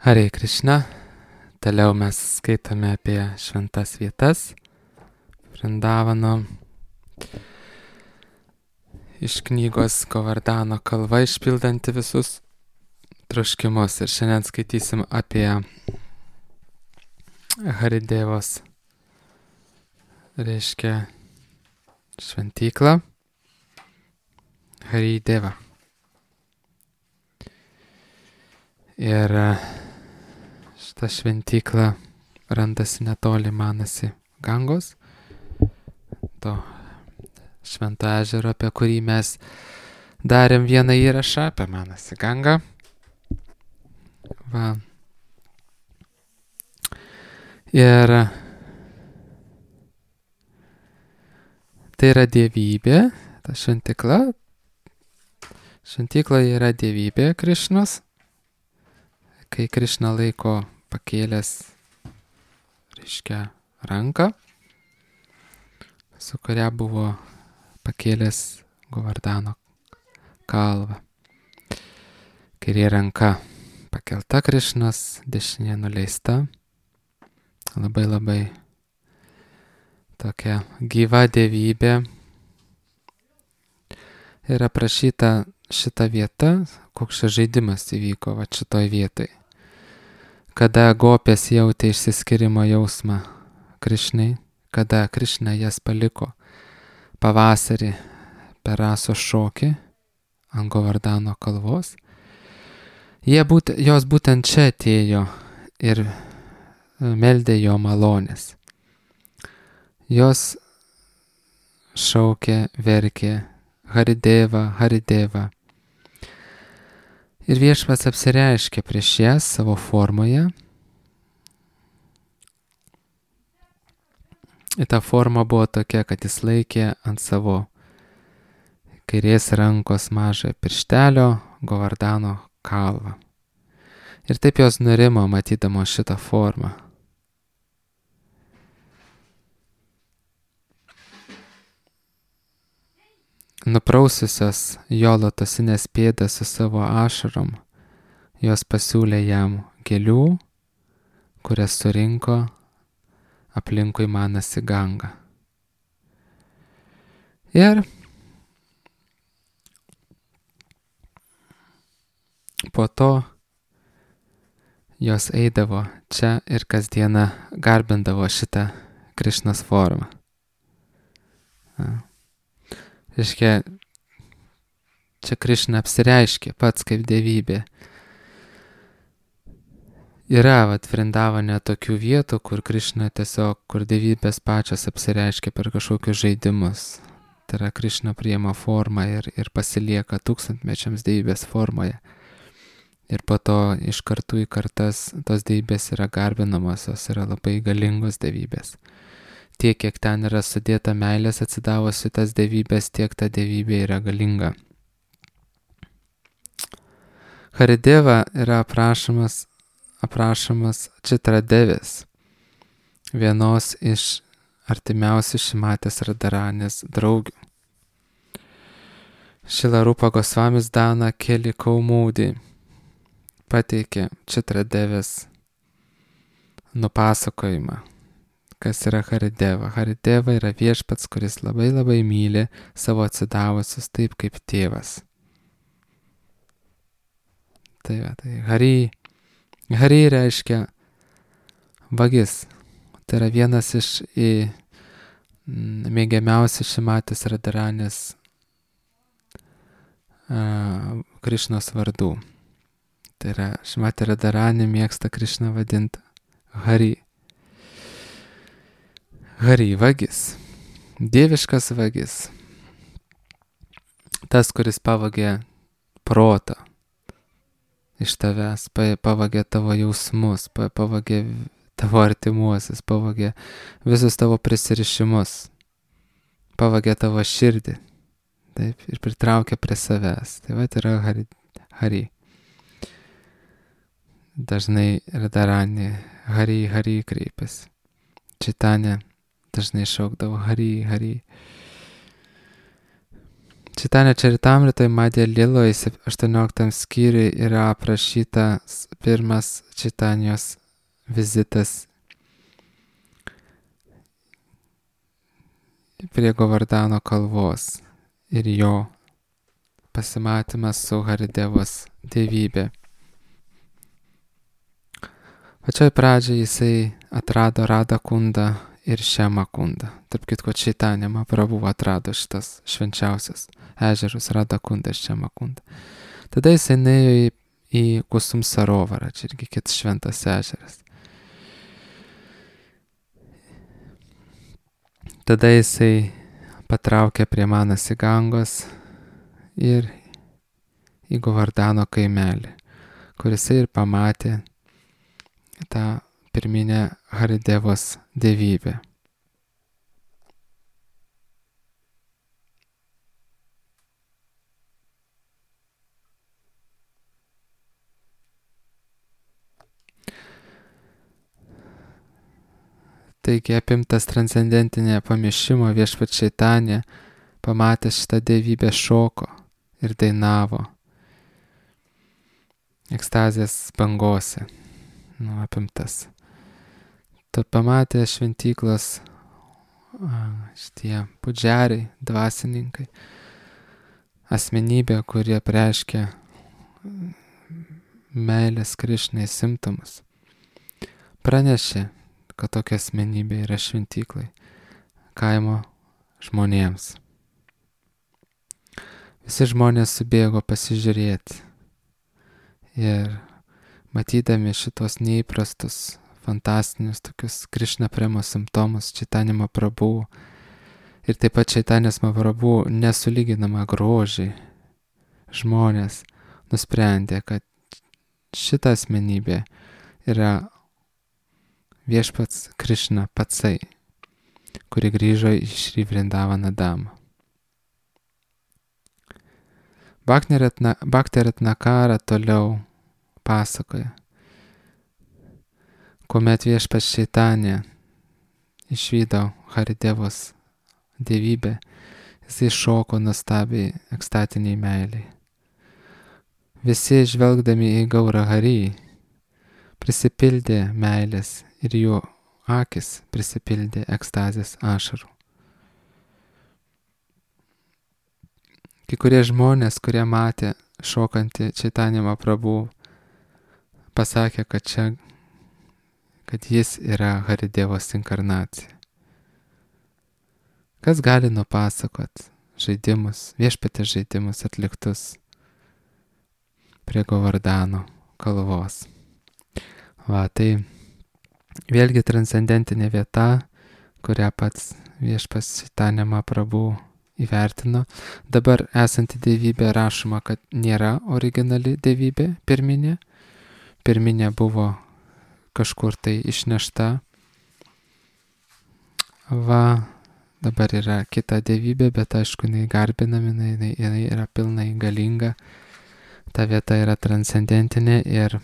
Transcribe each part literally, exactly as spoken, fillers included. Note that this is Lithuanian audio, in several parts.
Hare Krishna. Toliau mes skaitome apie šventas vietas Vrindavano iš knygos Govardhano kalva išpildanti visus troškimus. Ir šiandien skaitysim apie Haridevos, reiškia šventyklą Harideva. Ir šita šventykla randasi netoli Manasi Gangos, to švento ežero, apie kurį mes darėm vieną įrašą apie Manasi Gangą. Va. Ir tai yra dievybė, ta šventykla. Šventykla yra dievybė Krišnos. Kai Krišna laiko pakėlęs, reiškia, ranką, su kuria buvo pakėlęs Govardhano kalvą. Kairė ranka pakelta Krišnos, dešinė nuleista. Labai labai tokia gyva dievybė. Ir aprašyta šita vieta, koks čia žaidimas įvyko va šitoj vietoj. Kada gopės jautė išsiskyrimo jausmą Krišnai, kada Krišna jas paliko pavasarį per rasos šokį ant Govardhano kalvos, jie būt, jos būtent čia atėjo ir meldė jo malonės. Jos šaukė, verkė Harideva, Harideva. Ir viešpats apsireiškė prieš jas savo formoje. Ir ta forma buvo tokia, kad jis laikė ant savo kairės rankos mažą pirštelio Govardhano kalvą. Ir taip jos nurimo matydamo šitą formą. Nupraususios jo lotosinės pėdas su savo ašarom, jos pasiūlė jam gėlių, kurias surinko aplinkui Manasi Gangą. Ir po to jos eidavo čia ir kasdieną garbindavo šitą Krišnos formą. Ja. Reiškia, čia Krišna apsireiškė pats kaip dievybė. Yra vat Vrindavane tokių vietų, kur Krišna tiesiog, kur dievybės pačios apsireiškia per kažkokius žaidimus. Tai yra Krišna priima formą ir, ir pasilieka tūkstantmečiams dievybės formoje. Ir po to iš kartų į kartas tos dievybės yra garbinamos, jos yra labai galingos dievybės. Tiek, kiek ten yra sudėta meilės atsidavus į tas dievybės, tiek ta dievybė yra galinga. Harideva yra aprašomas, aprašomas Čitradevės, vienos iš artimiausių Šimatės Radharanės draugių. Šrila Rupa Gosvamis Dana Keli Kaumūdį pateikė Čitradevės nupasakojimą. Kas yra Harideva? Harideva yra viešpats, kuris labai labai myli savo atsidavusius taip kaip tėvas. Tai, va, tai Hari, Hari reiškia vagis. Tai yra vienas iš į, m, mėgiamiausių Šimatės Radharanės Krišnos vardų. Tai yra Šimatė Radharanė mėgsta Krišną vadinti Hari. Hari, vagis, dieviškas vagis, tas, kuris pavagė protą iš tavęs, pavagė tavo jausmus, pavagė tavo artimuosius, pavagė visus tavo prisirišimus, pavagė tavo širdį, taip, ir pritraukė prie savęs. Tai va, tai yra Hari. hari. Dažnai Radharani Hari, Hari kreipiasi. Čitanya dažnai šaukdavo Hari, Hari. Čitanya Čaritamritai Madhya Liloj aštuonioliktam skyriui yra aprašytas pirmas Čitanyos vizitas prie Govardhano kalvos ir jo pasimatymas su Haridevos dievybė. Pačioj pradžiai jisai atrado Radha kundą ir Šema kundą. Tarp kitko, Čaitanija Mahaprabhu atrado šitas švenčiausias ežerus Radha kundą ir Šema kundą. Tada jisai nuėjo į, į Kusum Sarovarą, čia irgi kitas šventas ežeras. Tada jisai patraukė prie Manasi Gangos ir į Govardhano kaimelį, kur jisai ir pamatė tą pirminę Haridevos dievybę. Taigi apimtas transcendentinė pamišimo Viešpats Čaitanija, pamatęs šitą dievybę, šoko ir dainavo ekstazės bangose, nu, apimtas. Tad pamatė šventyklos šitie pudžiariai, dvasininkai, asmenybė, kurie preiškia meilės Krišnai simptomus. Pranešė, kad tokia asmenybė yra šventyklai kaimo žmonėms. Visi žmonės subėgo pasižiūrėti ir matydami šitos neįprastus, fantastinius tokius Krišna premo simptomus Čaitanija Mahaprabhu ir taip pat Čaitanijos Mahaprabhu nesulyginamą grožį, žmonės nusprendė, kad šita asmenybė yra Viešpats Krišna patsai, kuri grįžo į Šri Vrindavaną Damą. Bhakti Ratnakara toliau pasakoja, kuomet Viešpats Čaitanija išvydo Haridevos dievybę, jisai šoko nuostabiai ekstatiniai meiliai. Visi žvelgdami į Gaurą Harį prisipildė meilės ir jų akis prisipildė ekstazės ašarų. Kai kurie žmonės, kurie matė šokantį Čaitanija Mahaprabhu, pasakė, kad čia, kad jis yra Haridevos inkarnacija. Kas gali nupasakot žaidimus, viešpatės žaidimus atliktus prie Govardhano kalvos. Va, tai vėlgi transcendentinė vieta, kurią pats Viešpats Čaitanija Mahaprabhu įvertino. Dabar esanti dievybė rašoma, kad nėra originali dievybė pirminė. Pirminė buvo kažkur tai išnešta. Va, dabar yra kita dievybė, bet aišku, jinai garbinami, jinai, jinai yra pilnai galinga. Ta vieta yra transcendentinė ir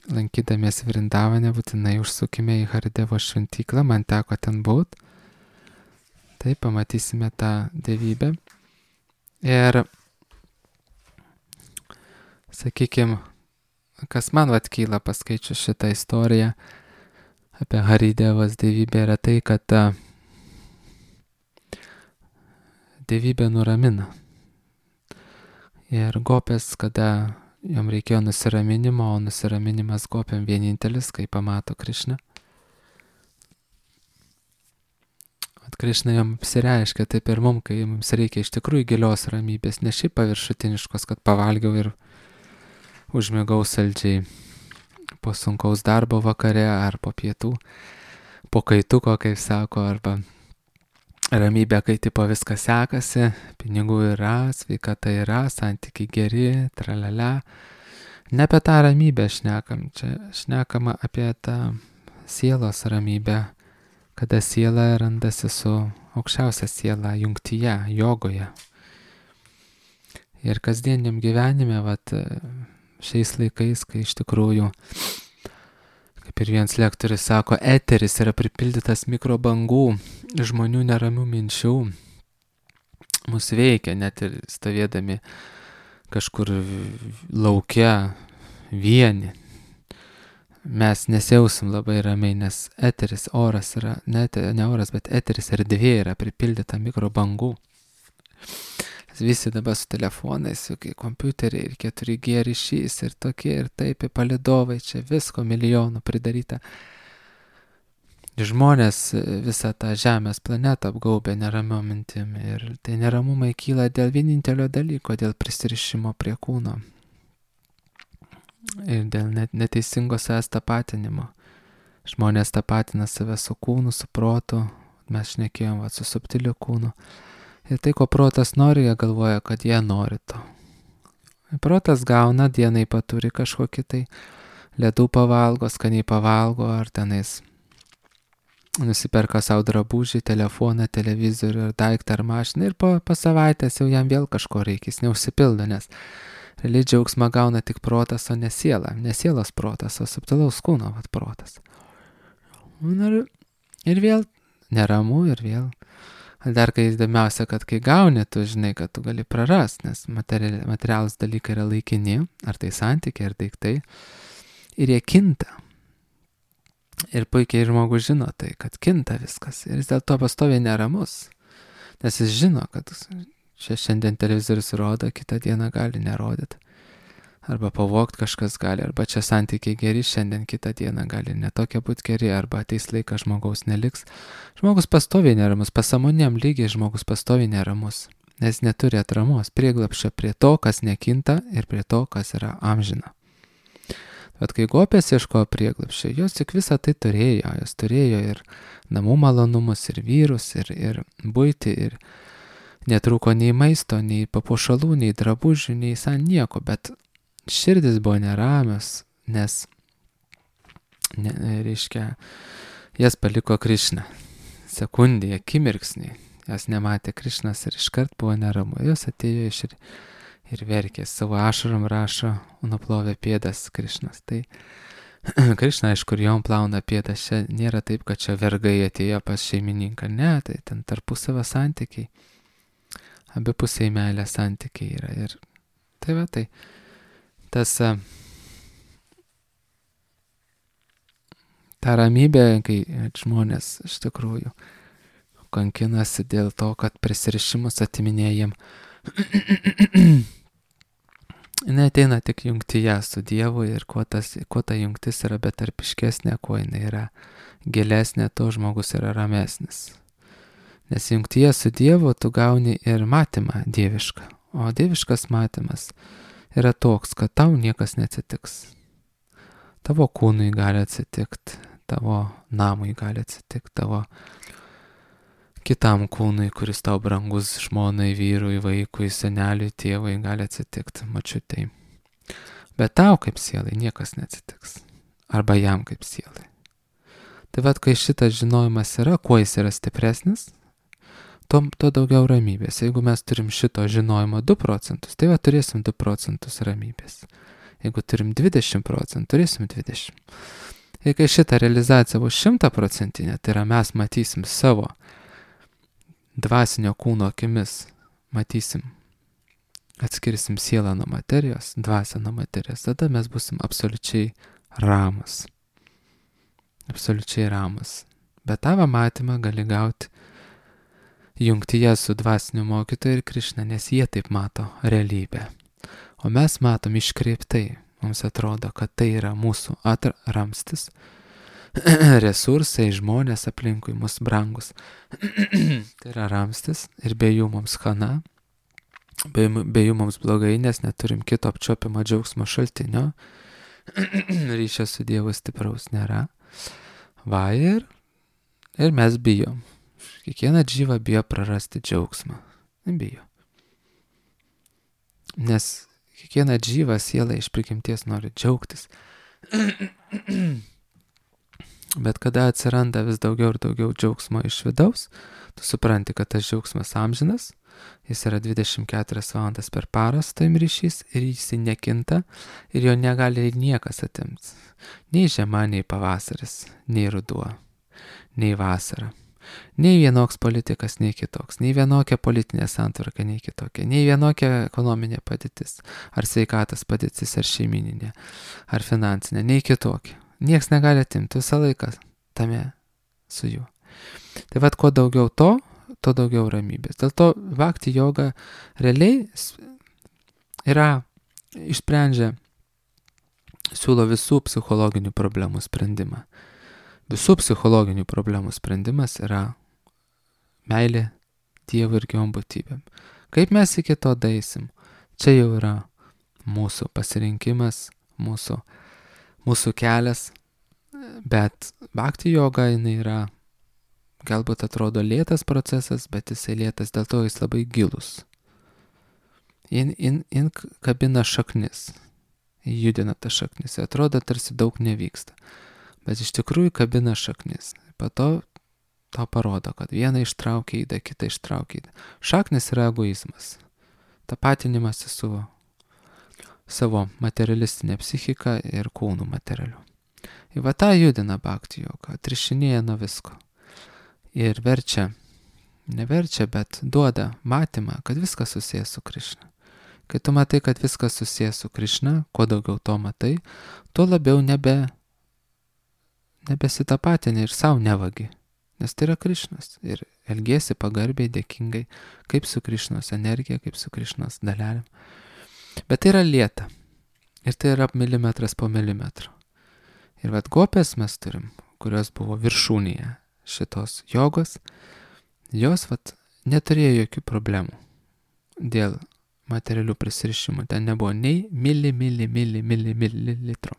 lankydamiesi Vrindavane būtinai užsukime į Haridevos šventyklą, man teko ten būt. Tai pamatysime tą dievybę. Ir, sakykime, kas man atkyla paskaičius šitą istoriją apie Haridevos dievybę, yra tai, kad ta dievybė nuramina. Ir gopės, kada jom reikėjo nusiraminimo, o nusiraminimas gopiam vienintelis, kai pamato Krišną. At Krišna jom apsireiškia, taip ir mum, kai mums reikia iš tikrųjų gilios ramybės, ne šiaip paviršutiniškos, kad pavalgiau ir užmigau saldžiai po sunkaus darbo vakare ar po pietų, po kaituko, kaip sako, arba ramybė, kai tipo viskas sekasi, pinigų yra, sveikata yra, santykiai geri, tralala. Ne apie tą ramybę šnekam, čia šnekama apie tą sielos ramybę, kada siela randasi su aukščiausia siela jungtyje, jogoje. Ir kasdieniam gyvenime, vat, šiais laikais, kai iš tikrųjų, kaip ir vienas lektorius sako, eteris yra pripildytas mikrobangų, žmonių neramių minčių, mus veikia, net ir stovėdami kažkur lauke vieni. Mes nesijausim labai ramiai, nes eteris, oras yra, ne, ne oras, bet eteris erdvė yra pripildyta mikrobangų. Visi dabar su telefonais, su kompiuteriai ir keturi G ryšys ir tokie ir taip, ir palidovai, čia visko milijonų pridaryta. Žmonės visą tą žemės planetą apgaubė neramiom mintim ir tai neramumai kyla dėl vienintelio dalyko, dėl prisirišimo prie kūno ir dėl net neteisingo savęs tapatinimo. Žmonės tapatina save su kūnu, su protu, mes šnekėjom va, su subtiliu kūnu. Ir tai, ko protas nori, jie galvoja, kad jie nori to. Protas gauna, dienai paturi kažkokį tai ledų pavalgo, skaniai pavalgo, ar tenais nusiperka savo drabužį, telefoną, televizorių, ar daiktą, ar mašiną ir po, po savaitės jau jam vėl kažko reikia, jis neužsipildo, nes realiai džiaugsmą gauna tik protas, o ne siela, ne sielos protas, o subtilaus kūno vat, protas. Ir, ir vėl neramu, ir vėl. Dar kai įdomiausia, kad kai gauni, tu žinai, kad tu gali prarast, nes material, materialus dalykai yra laikini, ar tai santykiai, ar daiktai, ir jie kinta. Ir puikiai žmogus žino tai, kad kinta viskas. Ir jis dėl to pastoviai neramus. Nes jis žino, kad čia šiandien televizorius rodo, kitą dieną gali nerodyti. Arba pavogti kažkas gali, arba čia santykiai geri, šiandien kitą dieną gali netokie būti geri, arba ateis laikas žmogaus neliks. Žmogus pastoviai neramus, pasąmoniniam lygiai žmogus pastoviai neramus. Nes neturi atramos, prieglapščio prie to, kas nekinta ir prie to, kas yra amžina. Bet kai gopės ieškojo prieglapščio, jos tik visą tai turėjo, jos turėjo ir namų malonumus, ir vyrus, ir, ir buitį, ir netrūko nei maisto, nei papuošalų, nei drabužių, nei san nieko, bet širdis buvo neramios, nes, ne, reiškia, jas paliko Krišna. Sekundį, akimirksnį, jas nematė Krišnas ir iškart buvo neramu, jos atėjo iš ir ir verkė, savo ašarom rašo, nuplovė pėdas Krišnas. Tai Krišna, aišku, jom plauna pėdas, čia nėra taip, kad čia vergai atėjo pas šeimininką, ne, tai ten tarpusavio santykiai, abipusiai meilės santykiai yra. Ir tai va, tai tas ta ramybė, kai žmonės iš tikrųjų kankinasi dėl to, kad prisirišimus atiminėja jiem, jinai ateina tik jungtyje su Dievu ir kuo, tas, kuo ta jungtis yra betarpiškesnė, kuo jinai yra gilesnė, to žmogus yra ramesnis. Nes jungtyje su Dievu tu gauni ir matymą dievišką, o dieviškas matymas yra toks, kad tau niekas neatsitiks. Tavo kūnui gali atsitikti, tavo namui gali atsitikti, tavo kitam kūnui, kuris tau brangus, žmonai, vyrui, vaikui, seneliui, tėvui, gali atsitikti, mačiutei. Bet tau kaip sielai niekas neatsitiks. Arba jam kaip sielai. Tai vad, kai šitas žinojimas yra, kuo jis yra stipresnis, to, to daugiau ramybės. Jeigu mes turim šito žinojimo du procentus, tai va turėsim du procentus ramybės. Jeigu turim dvidešimt procentų, turėsim dvidešimt. Ir kai šitą realizaciją bus šimtaprocentinė, tai yra mes matysim savo dvasinio kūno akimis, matysim, atskirsim sielą nuo materijos, dvasią nuo materijos, tada mes busim absoliučiai ramus. Absoliučiai ramus. Bet tavo matymą gali gauti jungtyje su dvasiniu mokytoju ir Krišna, nes jie taip mato realybę. O mes matom iškreiptai. Mums atrodo, kad tai yra mūsų atramstis, resursai, žmonės aplinkui mus brangus. Tai yra ramstis ir be jų mums chana, be, be jų mums blogai, nes neturim kito apčiuopiamo džiaugsmo šaltinio. Ryšio su Dievu stipraus nėra. Va ir, ir mes bijom. Kiekvieną džyvą bijo prarasti džiaugsmą. Bijo. Nes kiekviena džyva siela iš prigimties nori džiaugtis. Bet kada atsiranda vis daugiau ir daugiau džiaugsmo iš vidaus, tu supranti, kad tas džiaugsmas amžinas, jis yra dvidešimt keturias valandas per parą su tavim ryšys ir jis nekinta ir jo negali niekas atimti. Nei žiema, nei pavasaris, nei ruduo, nei vasara. Nei vienoks politikas, nei kitoks. Nei vienokia politinė santvarka, nei kitokia. Nei vienokia ekonominė padėtis. Ar sveikatos padėtis, ar šeimininė, ar finansinė. Nei kitokia. Niekas negali atimti visą laiką tame su juo. Tai vad, kuo daugiau to, tuo daugiau ramybės. Dėl to bhakti joga realiai yra, išsprendžia, siūlo visų psichologinių problemų sprendimą. Visų psichologinių problemų sprendimas yra meilė Dievui ir gyvom būtybėm. Kaip mes iki to daisim, čia jau yra mūsų pasirinkimas, mūsų, mūsų kelias, bet bhakti joga jinai yra, galbūt atrodo lėtas procesas, bet jisai lėtas, dėl to jis labai gilus. Jin, jin, jin kabina šaknis, judina tą šaknis, atrodo tarsi daug nevyksta, bet iš tikrųjų kabina šaknis. Po to to parodo, kad vieną ištraukia įdą, kitą ištraukia įdą. Šaknis yra egoizmas, tapatinimas su savo materialistinė psichika ir kūnų materialiu. Ir va tą judina bhakti joga, atrišinėja nuo visko. Ir verčia, neverčia, bet duoda matymą, kad viskas susijęs su Krišna. Kai tu matai, kad viskas susijęs su Krišna, kuo daugiau to matai, tuo labiau nebe, nebesitapatini ir savo nevagi. Nes tai yra Krišnas. Ir elgiesi pagarbiai, dėkingai, kaip su Krišnos energija, kaip su Krišnos dalelėm. Bet tai yra lėta. Ir tai yra milimetras po milimetro. Ir vat gopės mes turim, kurios buvo viršūnėje šitos jogos, jos vat neturėjo jokių problemų dėl materialių prisirišimų. Ten nebuvo nei mili, mili, mili, mili, mili litro.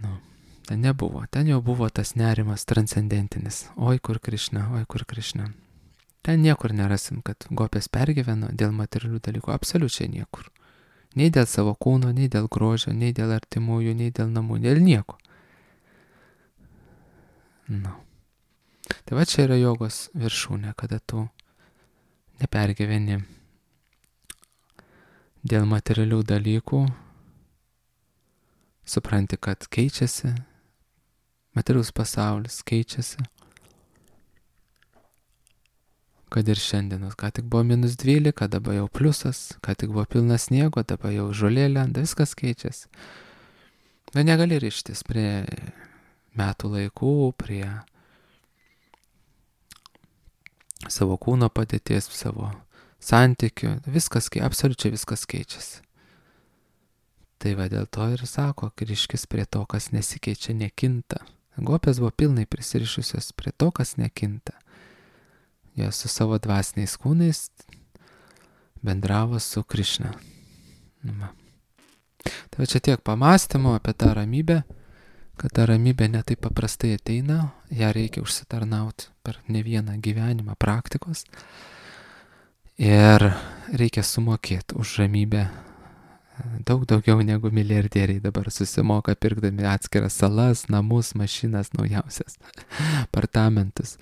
Nu, ten nebuvo. Ten jau buvo tas nerimas transcendentinis. Oi, kur Krišna, oi, kur Krišna. Ten niekur nerasim, kad gopės pergyveno dėl materialių dalykų. Absoliučiai niekur. Nei dėl savo kūno, nei dėl grožio, nei dėl artimųjų, nei dėl namų, dėl nieko. Nu. Tai va čia yra jogos viršūnė, kada tu nepergyveni dėl materialių dalykų, supranti, kad keičiasi, materialus pasaulis keičiasi, kad ir šiandienos, ką tik buvo minus dvylika, dabar jau pliusas, ką tik buvo pilnas sniego, dabar jau žolė lenda, viskas keičiasi. Bet negali rištis prie metų laikų, prie savo kūno padėties, savo santykių, viskas, absoliučiai viskas keičiasi. Tai va dėl to ir sako, grįžkis prie to, kas nesikeičia, nekinta. Gopės buvo pilnai prisirišusios prie to, kas nekinta. Jos su savo dvasiniais kūnais bendravo su Krišna. Nu, tai va čia tiek pamąstymo apie tą ramybę, kad ta ramybė ne taip paprastai ateina, ją reikia užsitarnauti per ne vieną gyvenimą praktikos ir reikia sumokėti už ramybę daug daugiau negu milijardieriai dabar susimoka pirkdami atskiras salas, namus, mašinas naujausias, apartamentus.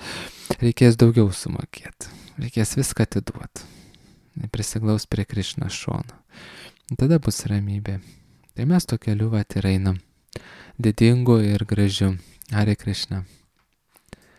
Reikės daugiau sumokėti, reikės viską atiduoti, prisiglaus prie Krišnos šono. Tada bus ramybė. Tai mes to keliu vat ir einam, didingu ir gražiu. Hare Krishna.